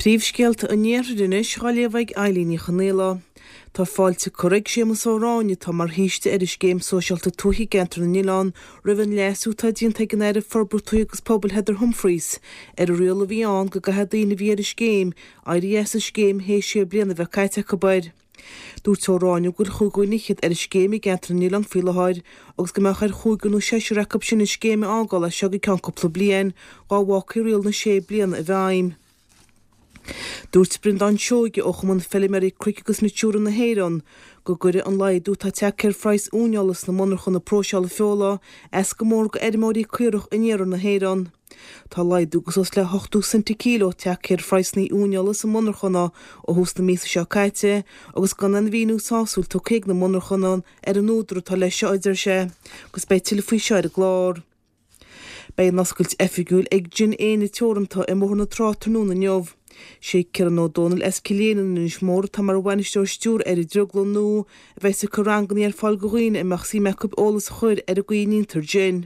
Príomhscéalta an Iarthair anois á léamh ag Eilín Ní Chonaola. Tá fáilte curtha ag Séamus Ó Ráinne, atá mar shaoiste ar an Scéim Sóisialta Tuaithe i gCeantar na nOileán, roimh an leasú atá déanta ag an Aire Forbartha Tuaithe agus Pobail Heather Humphreys ar an riail a bhí ann go gcaithfidh daoine a bhí ar an scéim éirí as an scéim théis sé bliana a bheith caite acu air. Dúirt Ó Ráinne go bhfuil chúig dhuine fhichead ar an scéim i gCeantar na nOileán faoi láthair agus go mbeadh ar chúigear nó seisear acu sin an scéim a fhágáil as seo go ceann cúpla bliain dhá bhfágfaí riail na sé bliana i bhfeidhm. Dúirt Breandán Seoige ó Chumann Feilméaraí Cnoic agus Natura na hÉireann go gcuirfidh an laghdú atá tagtha ar phraghas uaineola sna monarchana próiseála feola as go mór go fheirmeoirí caorach in iarthar na hÉireann. Tá laghdú de suas le 80 cent an kilo tagtha ar phraghsanna uaineola sa monarchana ó thús na míosa seo caite agus gan aon mhíniú sásúil tugtha ag na monarchana ar an údar atá leis seo, a deir sé, agus beidh tuilleadh faoi seo ar an gclár. Beidh an oscailt oifigiúil ag Gin Éinne Teoranta i mBóthar na Trá tráthnóna inniu. Sé Ciarán Ó Dónaill as Cill Éinne in Inis Mór atá mar bhainisteoir stiúrtha ar an drioglann nua a bheas ag cur ranganna ar fáil do dhaoine a mbeadh suim acu eolas a chur ar an gcaoi a ndéantar gin.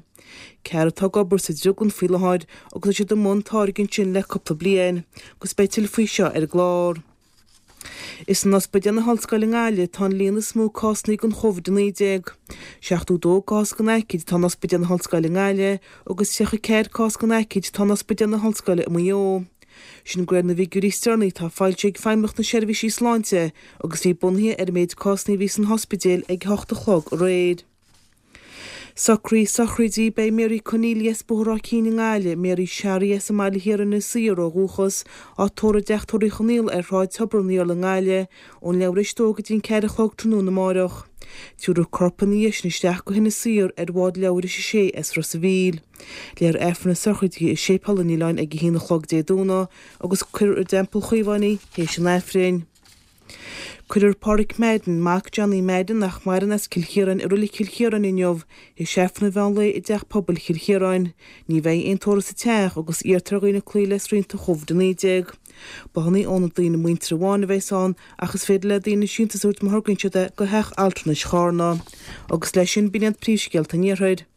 Ceathrar atá ag obair sa drioglann faoi láthair agus tá siad i mbun táirgeadh ansin le cúpla bliain agus beidh tuilleadh faoi seo ar an gclár. Is in Ospidéal na hOllscoile i nGaillimh atá an líon is mó cásanna den Covid-19. 72 cás den aicíd atá in Ospidéal na hOllscoile i nGaillimh agus 34 cás den aicíd atá in Ospidéal na hOllscoile i Maigh Eo. Sin de réir na bhfigiúirí is deireanaí atá foilsithe ag Feidhmeannacht na Seirbhísí Sláinte agus a bhí bunaithe ar an méid cásanna a bhí san ospidéal ag a hocht a chlog aréir. Socruithe sochraide Beidh Mary Conneely as Bóthar Ráth Cinn i nGaillimh, Mary Sharry as an mBaile Thiar Inis Oírr ó dhúchas, á tórramh i dTeach Tórraimh Uí Chonaola ar Shráid Tobar an Iarla i nGaillimh, ón leathuair tar éis a dó go dtí an ceathair a chlog tráthnóna amáireach. Tabharfar a corp ina dhiaidh sin isteach go hInis Oírr ar bhád leathuair tar éis a sé as Ros a' Mhíl. Léifear Aifreann na sochraide i Séipéal an Oileáin ag a haon a chlog Dé Domhnaigh agus cuirfear i dTeampall Chaomháin í théis an Aifrinn. Cuirfear Páraic Madden, mac Johnny Madden nach maireann as Cill Chiaráin i Reilig Chill Chiaráin inniu, théis Aifreann an mheán lae i dTeach Pobail Chill Chiaráin. Ní bheidh aon tórramh sa teach agus iarrtar ar dhaoine cloí le srianta Covid 19. Bláthanna ó na daoine muinteartha amháin a bheas ann ach is féidir le daoine síntiús a thabhairt má thograíonn siad é go Theach Altranais Charna. Agus leis sin b'in iad príomhscéalta an Iarthair.